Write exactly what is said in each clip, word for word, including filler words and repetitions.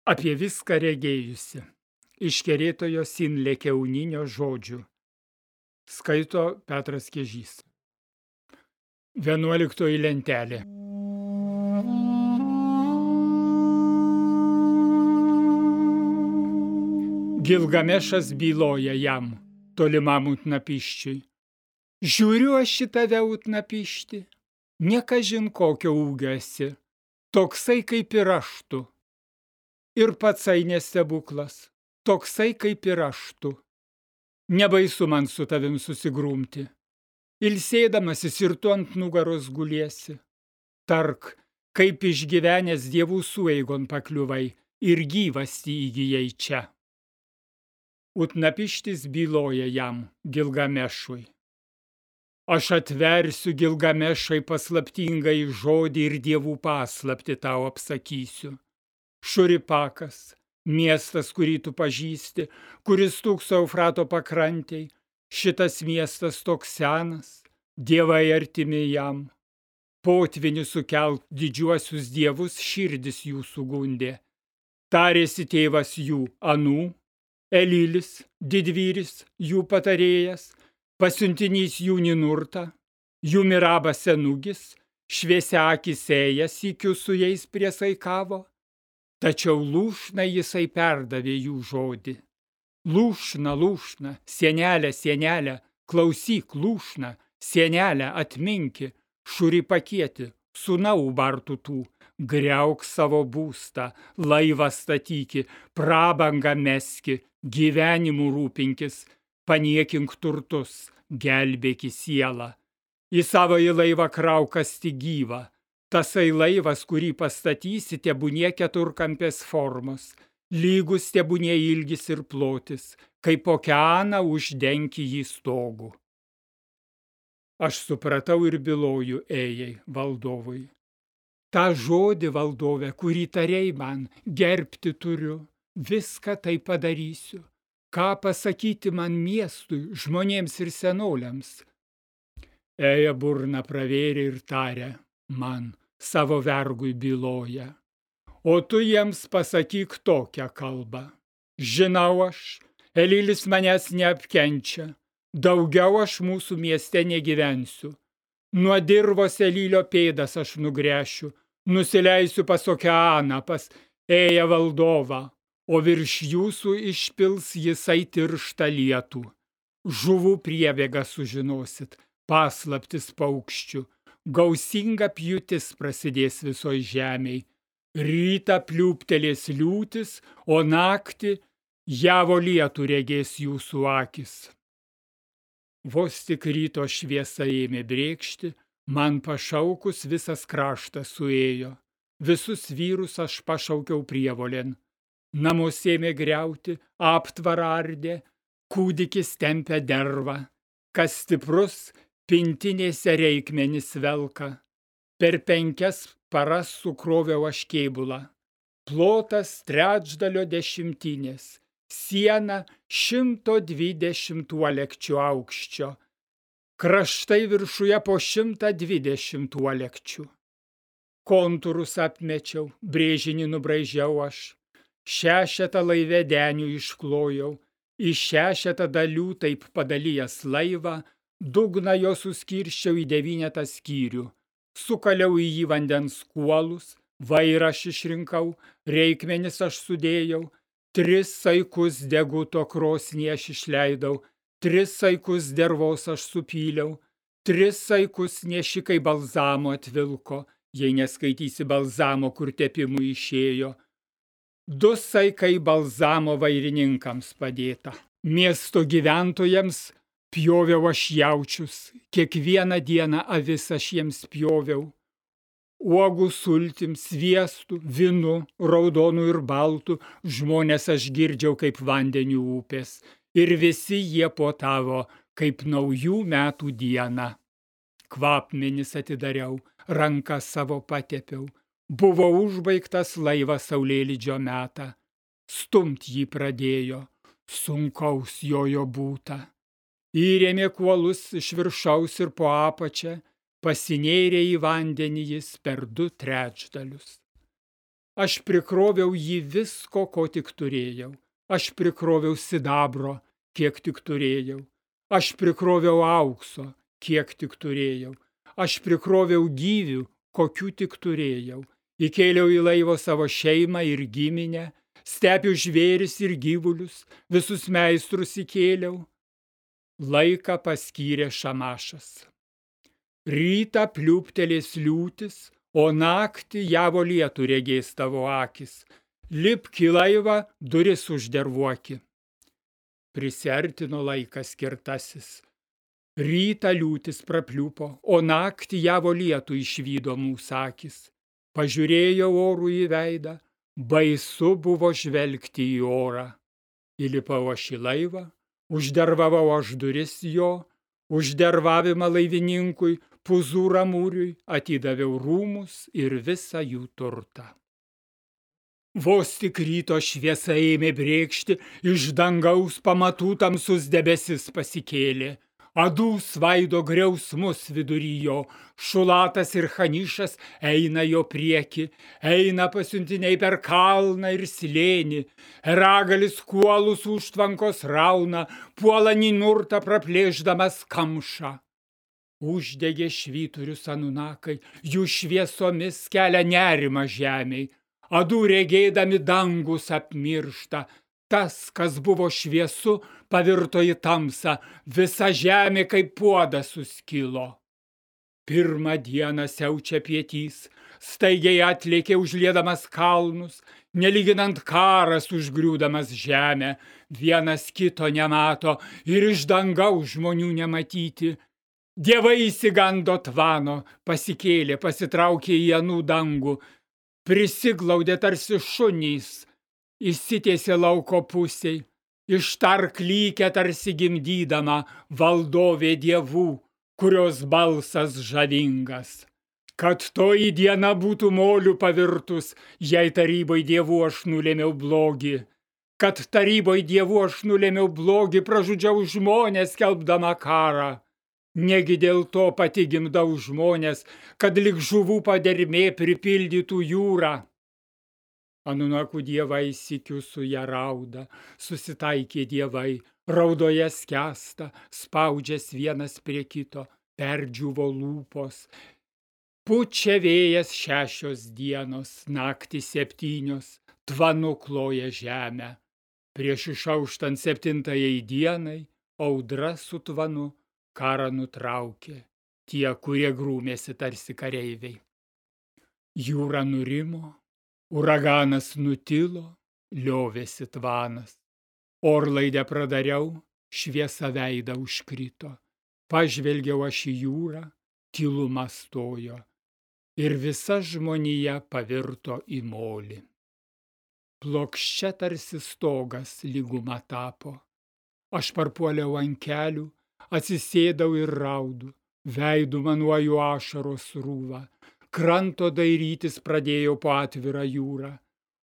Apie viską regėjusi. Iš Kerėtojo Sinlė Kiauninio žodžių. Skaito Petras Kiežys. Vienuoliktoji lentelė. Gilgamešas byloja jam, tolimam Utnapiščiui. Žiūriu aš į tave, Utnapišti, nekažin kokio ūgio esi, toksai kaip ir aš tu. Ir patsai nestebuklas, toksai kaip ir aš tu. Nebaisu man su tavim susigrumti. Ilsėdamasis ir tu ant nugaros guliesi. Tark, kaip išgyvenęs dievų sueigon pakliuvai ir gyvastį įgyjai čia. Utnapištis byloja jam, Gilgamešui. Aš atversiu, Gilgamešai, paslaptingai žodį ir dievų paslaptį tau apsakysiu. Šuripakas, miestas, kurį tu pažįsti, kuris stūkso Eufrato pakrantėj, šitas miestas toks senas, dievai artimi jam. Potvinių sukelt didžiuosius dievus širdis jų sugundė. Tarėsi tėvas jų anų, Elilis, didvyris, jų patarėjas, pasiuntinys jų Ninurta, jų Mirabas senugis, šviesiakis ėjas sykiu su jais priesaikavo. Tačiau lūšna jisai perdavė jų žodį. Lūšna, lūšna, sienelė, sienelė, klausyk, lūšna, sienelė, atminki, šuripakieti, sūnau bartų tų, griauk savo būstą, laivą statyki, prabangą meski, gyvenimu rūpinkis, paniekink turtus, gelbėki sielą. Į savąjį laivą kraukasti gyvą. Tasai laivas, kurį pastatysi, tebūnie keturkampės formos, lygus tebūnie ilgis ir plotis, kaip okeaną uždenki jį stogu. Aš supratau ir byloju ėjai valdovui. Ta žodį, valdove, kurį tarei man, gerbti turiu, viską tai padarysiu. Ką pasakyti man miestui, žmonėms ir senoliams? Ėja burną pravėrė ir tarė man, savo vergui byloja. O tu jiems pasakyk tokią kalbą. Žinau aš, Elilis manęs neapkenčia, daugiau aš mūsų mieste negyvensiu. Nuo dirvos Elilio pėdas aš nugręšiu, nusileisiu pas okeaną, pas ėją valdovą, o virš jūsų išpils jisai tirštą lietų. Žuvų priebėgą sužinosit, paslaptis paukščių, gausinga pjūtis prasidės visoj žemėj. Rytą pliūptelės liūtis, o naktį javo lietų regės jūsų akis. Vos tik ryto šviesa ėmė brėkšti, man pašaukus visas kraštas suėjo. Visus vyrus aš pašaukiau prievolėn. Namus ėmė griauti, aptvarą ardė, kūdikis tempė dervą. Kas stiprus, pintinėse reikmenis velka. Per penkias paras sukroviau aš kėbulą. Plotas trečdalio dešimtinės, siena šimto dvidešimt uolekčių aukščio, kraštai viršuje po šimtą dvidešimt uolekčių. Kontūrus apmečiau, brėžinį nubraižiau aš, šešetą laivedenių išklojau, iš šešetą dalių taip padalijęs laivą, dugną jo suskirščiau į devynetą skyrių, sukaliau į jį vandens kuolus, vairą aš išrinkau, reikmenis aš sudėjau, tris saikus deguto krosnį aš išleidau, tris saikus dervos aš supyliau, tris saikus nešikai balzamo atvilko, jei neskaitysi balzamo, kur tepimui išėjo. Du saikai balzamo vairininkams padėta. Miesto gyventojams pjoviau aš jaučius, kiekvieną dieną avis aš jiems pjoviau. Uogų sultim, sviestu, vynu, raudonu ir baltu, žmonės aš girdžiau kaip vandenių upės, ir visi jie puotavo kaip naujų metų dieną. Kvapmenis atidariau, rankas savo patepiau, buvo užbaigtas laivas saulėlydžio metą. Stumt jį pradėjo, sunkaus jojo būta. Įrėmė kuolus iš viršaus ir po apačią, pasinėrė į vandenį jis per du trečdalius. Aš prikroviau jį visko, ko tik turėjau. Aš prikroviau sidabro, kiek tik turėjau. Aš prikroviau aukso, kiek tik turėjau. Aš prikroviau gyvių, kokių tik turėjau. Įkėliau į laivo savo šeimą ir giminę, stepių žvėris ir gyvulius, visus meistrus įkėliau. Laiką paskyrė Šamašas. Rytą pliūptelės liūtis, o naktį javo lietų regės tavo akis. Lipk į laivą, duris uždervuoki. Prisiartino laikas skirtasis. Rytą liūtis prapliupo, o naktį javo lietų išvydo mūsų akis. Pažiūrėjo orų į veidą, baisu buvo žvelgti į orą. Įlipau aš į laivą, uždervavau aš duris jo, uždervavimą laivininkui, Puzūra mūriui, atidaviau rūmus ir visą jų turtą. Vos tik ryto šviesa ėmė brėkšti, iš dangaus pamatų tamsus debesis pasikėlė. Adų svaido griausmus vidury jo, Šulatas ir Hanišas eina jo prieki, eina pasiuntiniai per kalną ir slėnį, Ragalis kuolus užtvankos rauna, puola Ninurtą praplėšdamas kamšą. Uždegė švyturius anunakai, jų šviesomis kelia nerimą žemei, adų regėdami dangus apmiršta, tas, kas buvo šviesu, pavirto į tamsą, visa žemė kaip puodas suskilo. Pirmą dieną siaučia pietys, staigiai atlėkė užliedamas kalnus, nelyginant karas užgriūdamas žemę, vienas kito nemato ir iš dangaus žmonių nematyti. Dievai įsigando tvano, pasikėlė, pasitraukė į anų dangų, prisiglaudė tarsi šunys, įsitiesė lauko pusiai, ištark lykę tarsi gimdydama valdovė dievų, kurios balsas žavingas. Kad toji diena būtų moliu pavirtus, jei taryboj dievų aš nulėmiau blogį. Kad taryboj dievų aš nulėmiau blogį, pražudžiau žmonės skelbdama karą. Negi dėl to pati gimdau žmonės, kad lik žuvų padermė pripildytų jūrą. Anunakų dievai sykiu su ją rauda, susitaikė dievai, raudoje skęsta, spaudžias vienas prie kito, perdžiuvo lūpos. Pučia vėjas šešios dienos, naktį septynios, tvanu kloja žemę. Prieš išauštant septintajai dienai, audra su tvanu, karą nutraukė tie, kurie grūmėsi tarsi kareiviai. Jūra nurimo, uraganas nutilo, liovėsi tvanas. Orlaidę pradariau, šviesa veidą užkrito. Pažvelgiau aš į jūrą, tyluma stojo. Ir visa žmonija pavirto į molį. Plokščia tarsi stogas lyguma tapo. Aš parpuoliau ant kelių, atsisėdau ir raudu, veidu manuoju ašaros rūvą, kranto dairytis pradėjau po atvirą jūrą,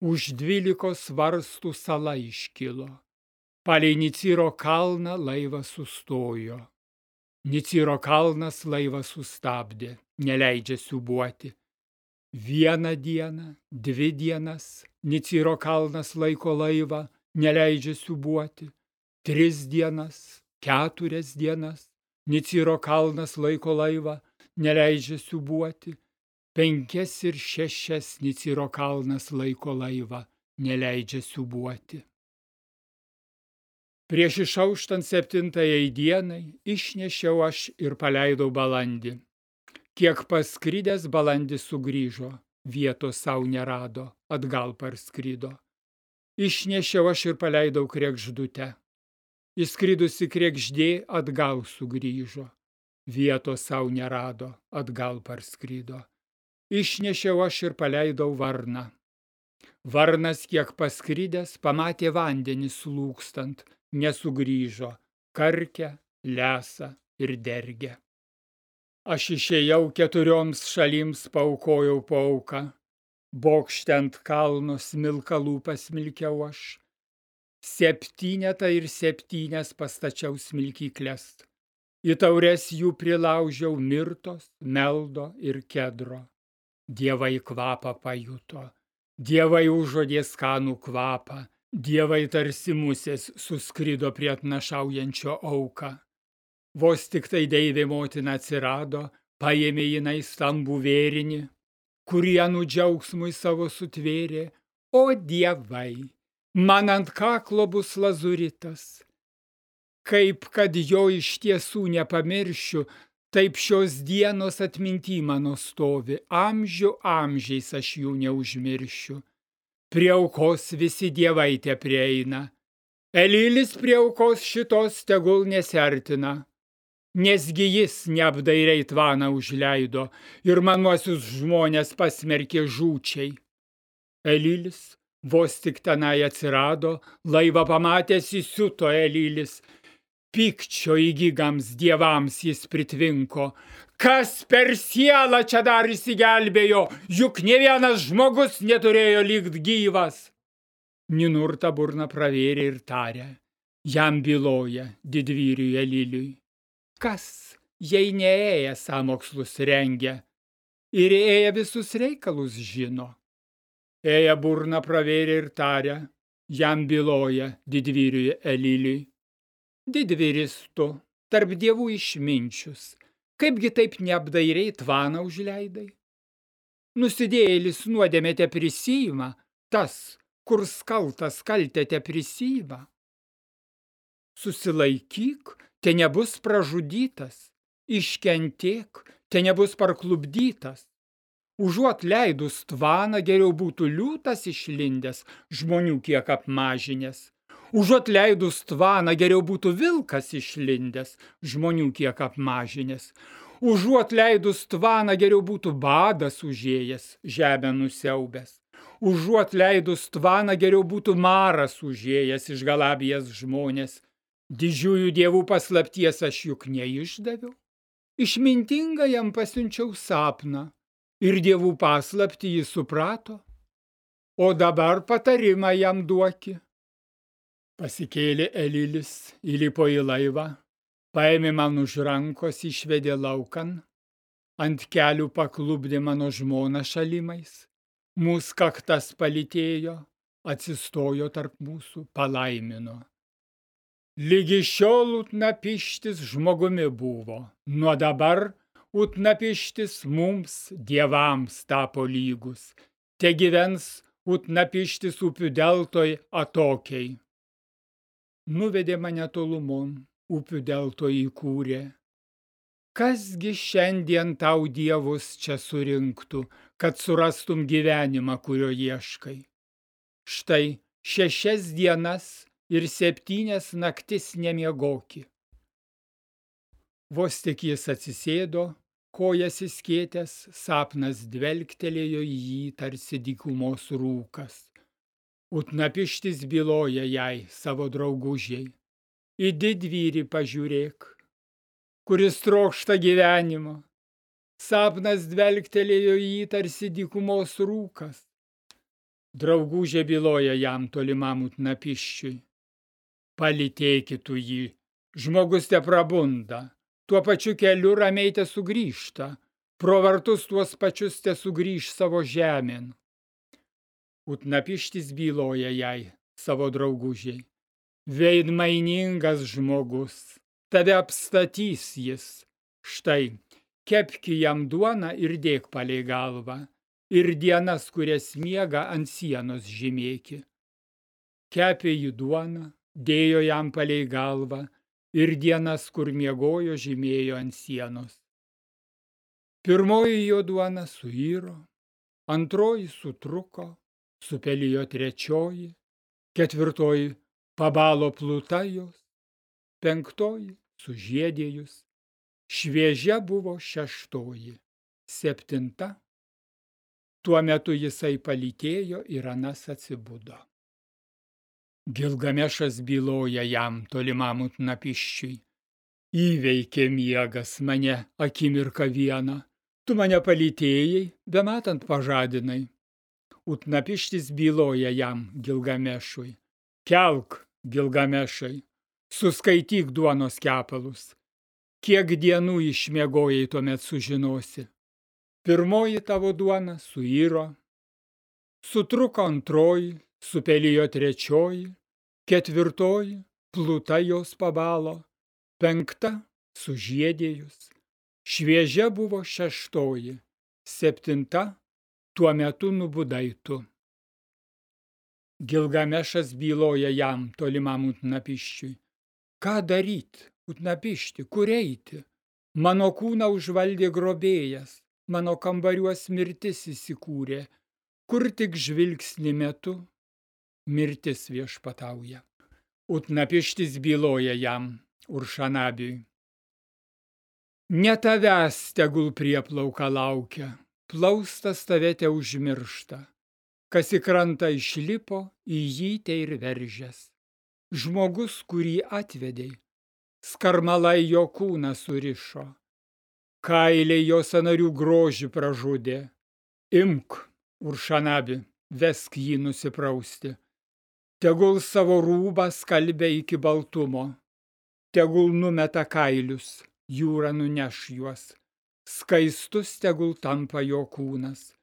už dvylikos varstų sala iškilo. Palei Niciro kalną laivas sustojo. Niciro kalnas laivą sustabdė, neleidžia siūbuoti. Vieną dieną, dvi dienas, Niciro kalnas laiko laivą, neleidžia siūbuoti. Tris dienas, keturias dienas, Niciro kalnas laiko laivą, neleidžia siūbuoti. Penkias ir šešias Niciro kalnas laiko laivą, neleidžia siūbuoti. Prieš išauštant septintajai dienai išnešiau aš ir paleidau balandį. Kiek paskridęs balandis sugrįžo, vietos sau nerado, atgal parskrido. Išnešiau aš ir paleidau kregždutę. Įskridusi kregždė atgal sugrįžo, vietos sau nerado, atgal parskrido. Išnešiau aš ir paleidau varną. Varnas kiek paskridęs, pamatė vandenį slūgstant, nesugrįžo, karkia, lesa ir dergia. Aš išėjau keturioms šalims, paaukojau pauką, bokšte ant kalno smilkalų pasmilkiau aš. Septynetą ir septynias pastačiau smilkykles. Į taures jų prilaužiau mirtos, meldo ir kedro. Dievai kvapą pajuto. Dievai užuodė skanų kvapą, dievai tarsi musės suskrido prie atnašaujančio auką. Vos tik tai deivė motina atsirado, paėmė jinai stambų vėrinį, kurį anų džiaugsmui savo sutvėrė. O dievai, man ant kaklo bus lazuritas. Kaip kad jo iš tiesų nepamiršiu, taip šios dienos atminty mano stovi, amžių amžiais aš jų neužmiršiu. Prie aukos visi dievai te prieina, Elilis prie aukos šitos tegul nesiartina, nesgi jis neapdairiai tvaną užleido ir manuosius žmonės pasmerkė žūčiai. Elilis vos tik tenai atsirado, laivą pamatęs įsiuto Elilis, pykčio įgygams dievams jis pritvinko. Kas per sielą čia dar įsigelbėjo, juk ne vienas žmogus neturėjo likt gyvas. Ninurta burną pravėrė ir tarė, jam byloja didvyriui Eliliui. Kas, jei neėję sąmokslus rengia, ir ėję visus reikalus žino? Ėję burną pravėrė ir tarė, jam byloja didvyriui Eliliui. Didvyris tu, tarp dievų išminčius, kaipgi taip neapdairiai tvaną užleidai? Nusidėjėlis nuodėmę te prisiima, tas, kur skaltas kaltę te prisiima. Susilaikyk, te nebus pražudytas, iškentėk, te nebus parklupdytas. Užuot leidus tvaną, geriau būtų liūtas išlindęs, žmonių kiek apmažinęs. Užuot leidus tvaną, geriau būtų vilkas išlindęs, žmonių kiek apmažinęs. Užuot leidus tvaną, geriau būtų badas užėjęs, žemę nusiaubęs. Užuot leidus tvaną, geriau būtų maras užėjęs, išgalabijęs žmonės. Didžiųjų dievų paslapties aš juk neišdaviau. Išmintingą jam pasiunčiau sapną ir dievų paslaptį jis suprato. O dabar patarimą jam duoki. Pasikėlė Elilis, įlipo į laivą, paėmė man už rankos, išvedė laukan, ant kelių paklupdė mano žmoną šalimais, mūsų kaktas palytėjo, atsistojo tarp mūsų, palaimino. Lygi šiol Utnapištis žmogumi buvo, nuo dabar Utnapištis mums, dievams, tapo lygus, te gyvens Utnapištis upių deltoj atokiai. Nuvedė mane tolumon, upių delto įkūrė. Kasgi šiandien tau dievus čia surinktų, kad surastum gyvenimą, kurio ieškai? Štai šešias dienas ir septynias naktis nemiegoki. Vos tik jis atsisėdo, kojas įskėtęs, sapnas dvelktelėjo į jį tarsi dykumos rūkas. Utnapištis byloja jai savo draugužiai. Į didvyrį pažiūrėk, kuris trokšta gyvenimo. Sapnas dvelktelėjo į jį tarsi dykumos rūkas. Draugužė byloja jam tolimam Utnapiščiui. Palytėkitų jį, žmogus te prabunda, tuo pačiu keliu ramiai te sugrįžta, pro vartus tuos pačius te sugrįž savo žemėn. Utnapištis byloja jai savo draugužiai. Veidmainingas žmogus, tave apstatys jis. Štai, kepki jam duoną ir dėk palei galvą, ir dienas, kurias miega ant sienos žymėki. Kepė jį duoną, dėjo jam palei galvą, ir dienas, kur miegojo, žymėjo ant sienos. Pirmoji jo duona suiro, antroji sutruko, supelijo trečioji, ketvirtoji pabalo pluta jos, penktoji sužiedėjus, šviežia buvo šeštoji, septinta. Tuo metu jisai palytėjo ir anas atsibudo. Gilgamešas byloja jam tolimam Utnapiščiui. Įveikė miegas mane akimirką vieną, tu mane palytėjai, bematant pažadinai. Utnapištis byloja jam Gilgamešui. Kelk, Gilgamešai, suskaityk duonos kepalus. Kiek dienų išmiegojai tuomet sužinosi. Pirmoji tavo duona suiro, Sutruko antroji, supelijo trečioji, ketvirtoji, pluta jos pabalo, penkta sužiedėjus, šviežia buvo šeštoji, septinta tuo metu nubudai tu. Gilgamešas byloja jam, tolimam Utnapiščiui. Ką daryt, Utnapišti, kur eiti? Mano kūną užvaldė grobėjas, mano kambariuos mirtis įsikūrė, kur tik žvilgsnį metu, mirtis viešpatauja. Utnapištis byloja jam, Uršanabiui. Ne tavęs tegul prieplauka laukia, plaustas tave te užmiršta. Kas į krantą išlipo, į jį te ir veržės. Žmogus, kurį atvedei, skarmalai jo kūną surišo, kailiai jo sąnarių grožį pražudė. Imk, Uršanabi, vesk jį nusiprausti. Tegul savo rūbą skalbia iki baltumo, tegul numeta kailius, jūra nuneš juos, skaistus tegul tampa jo kūnas.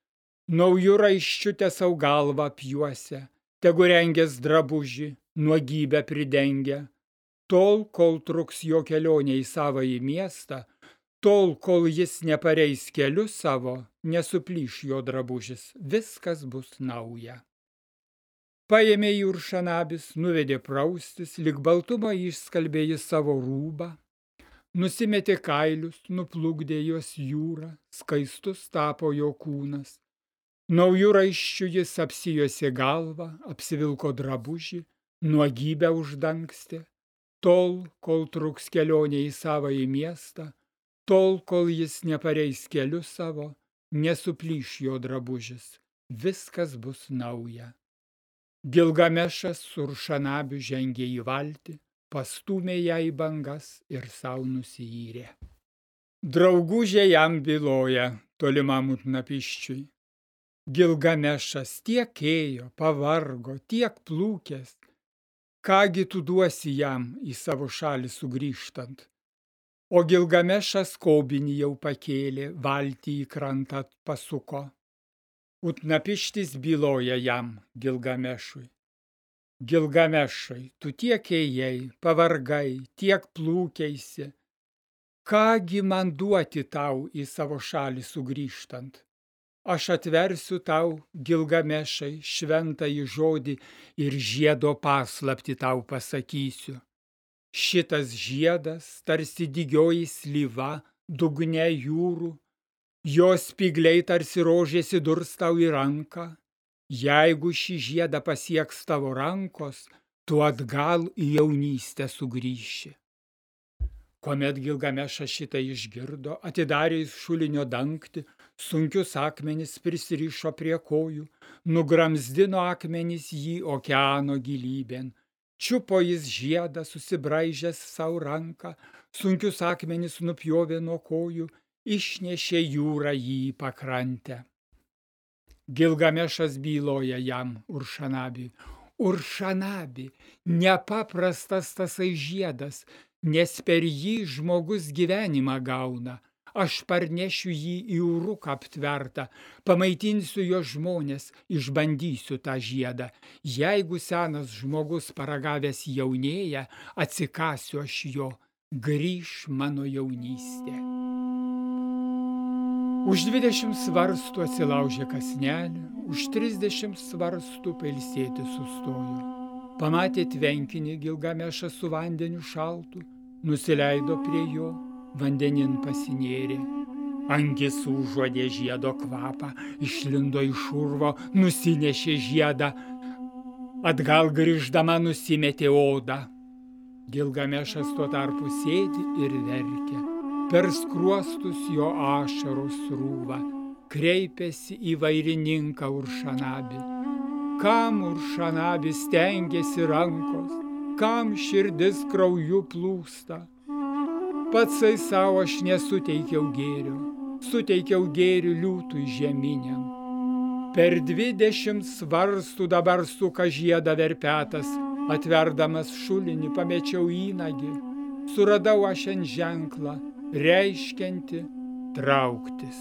Naujų raiščių te sau galvą apjuosia, tegu rengės drabužį, nuogybę pridengia. Tol, kol truks jo kelionė į savąjį miestą, tol, kol jis nepareis keliu savo, nesuplyš jo drabužis, viskas bus nauja. Paėmė jį Uršanabis, nuvedė praustis, lyg baltumą išskalbė jį savo rūbą, nusimetė kailius, nuplukdė juos jūrą, skaistus tapo jo kūnas. Naujų raiščių jis apsijuosė galvą, apsivilko drabužį, nuogybę uždangstė, tol, kol truks kelionė į savąjį miestą, tol, kol jis nepareis keliu savo, nesuplyš jo drabužis, viskas bus nauja. Gilgamešas su Uršanabiu žengė į valtį, pastūmė ją į bangas ir sau nusiyrė. Draugužė jam byloja, tolimam Utnapiščiui. Gilgamešas tiek ėjo, pavargo, tiek plūkęs. Kągi tu duosi jam į savo šalį sugrįžtant? O Gilgamešas kobinį jau pakėlė, valtį į krantą pasuko. Utnapištis byloja jam, Gilgamešui. Gilgamešai, tu tiek ėjai, pavargai, tiek plūkeisi. Kągi man duoti tau į savo šalį sugrįžtant? Aš atversiu tau, Gilgamešai, šventąjį žodį ir žiedo paslaptį tau pasakysiu. Šitas žiedas tarsi dygioji slyva dugne jūrų, jos spygliai tarsi rožės įdurs tau į ranką. Jeigu šį žiedą pasieks tavo rankos, tu atgal į jaunystę sugrįši. Kuomet Gilgamešas šitą išgirdo, atidarė jis šulinio dangtį, sunkius akmenis prisirišo prie kojų, nugramzdino akmenis jį okeano gilybėn, čiupo jis žiedą, susibraižęs savo ranką, sunkius akmenis nupjovė nuo kojų, išnešė jūrą jį į pakrantę. Gilgamešas byloja jam, Uršanabiui. Uršanabi, nepaprastas tasai žiedas, nes per jį žmogus gyvenimą gauna. Aš parnešiu jį į uruką aptvertą, pamaitinsiu jo žmonės, išbandysiu tą žiedą. Jeigu senas žmogus paragavęs jaunėja, atsikasiu aš jo, grįš mano jaunystė. Už dvidešimt svarstų atsilaužė kasnelį, už trisdešimt svarstų pailsėti sustojo. Pamatė tvenkinį Gilgamešą su vandeniu šaltu, nusileido prie jo, vandenin pasinėrė. Angis užuodė žiedo kvapą, išlindo iš urvo, nusinešė žiedą, atgal grįždama nusimetė odą. Gilgamešas tuo tarpu sėdi ir verkia. Per skruostus jo ašaros srūva, kreipėsi į vairininką Uršanabį. Kam Uršanabis stengiasi rankos, kam širdis krauju plūsta? Patsai savo aš nesuteikiau gėrio, suteikiau gėrių liūtui žeminiam. Per dvidešimt svarstų dabar suka žiedą verpetas, atverdamas šulinį pamečiau įnagį, suradau aš ant ženklą, reiškianti trauktis.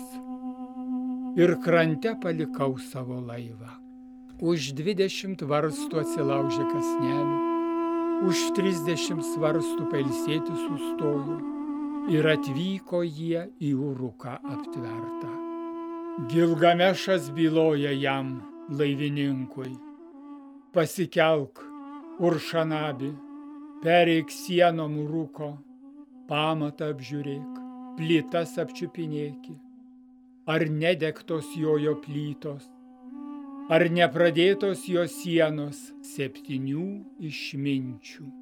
Ir krante palikau savo laivą. Už dvidešimt varstų atsilaužė kąsnelį, už trisdešimt svarstų pailsėti sustojo ir atvyko jie į Uruką aptvertą. Gilgamešas byloja jam, laivininkui: pasikelk, Uršanabi, pereik sienom Uruko, pamatą apžiūrėk, plytas apčiupinėki, ar nedegtos jojo plytos, ar nepradėtos jo sienos septynių išminčių.